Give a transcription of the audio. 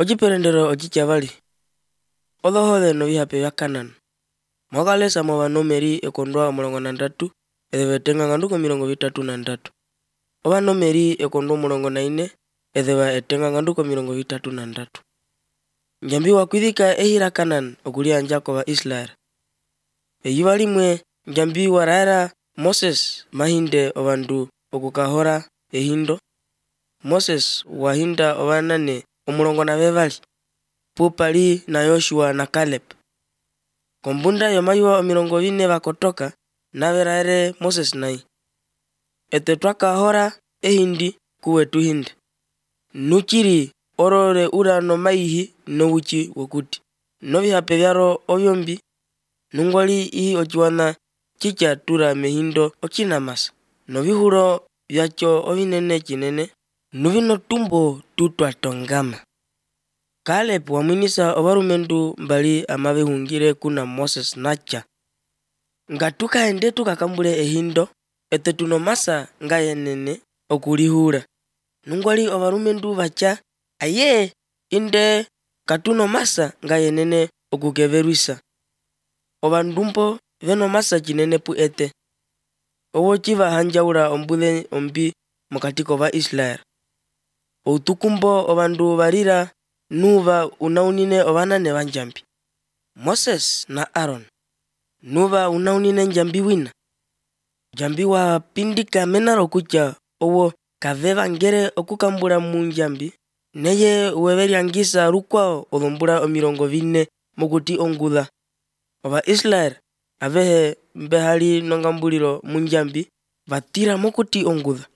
Ochiperendero ochichiavali. Odhohole no vihape vya Kanani. Mwakalesa mwa vanomeri ekondwa mulongo na ndatu, ethevetenga nganduko milongo vitatu na ndatu. Ovanomeri ekondwa mulongo na ine, etheva etenga nganduko milongo vitatu na ndatu. Njambi wakwithika ehira Kanani okulia njako wa Israel. Eyiva limwe njambi waraera Moses mahinde ovandu okukahora ehindo. Moses wahinda ovanane omulongo na vevali, Pupali na Yoshua na Caleb. Kombunda yomayuwa omilongo vine vakotoka naveraere Moses nai. Ete twakahora ehindi kuwe tuhinde. Nuchiri orore ura no maihi no uchi wokuti. Novihape vyaro ovyombi, nungwali ihi ochiwana chicha tura mehindo ochinamasa. Novihuro vyacho ovinene chinene, nuvino tumbo tutwa tongama. Caleb wamwinisa ovarumendu mbali amavehungire kuna Moses nacha. Ngatuka ende tukakambule ehindo, ete tunomasa ngayenene okulihura. Nungwali ovarumendu vacha, aye inde katunomasa ngayenene okukeveruisa. Ovandumpo venomasa chinene pu ete. Owo chiva hanjaura ombule ombi mokatiko va Israel. Outukumbo ovandu varira nuva unaunine ovanane vanjambi. Moses na Aaron. Nuva unaunine njambi wina. Jambi wa pindika menaro kucha owo kaveva ngere okukambula munjambi. Neye uweveriangisa rukwao odhombula omilongo vine mokuti ongudha. Ova Israel avehe mbehali nongambulilo munjambi vatira mokuti ongudha.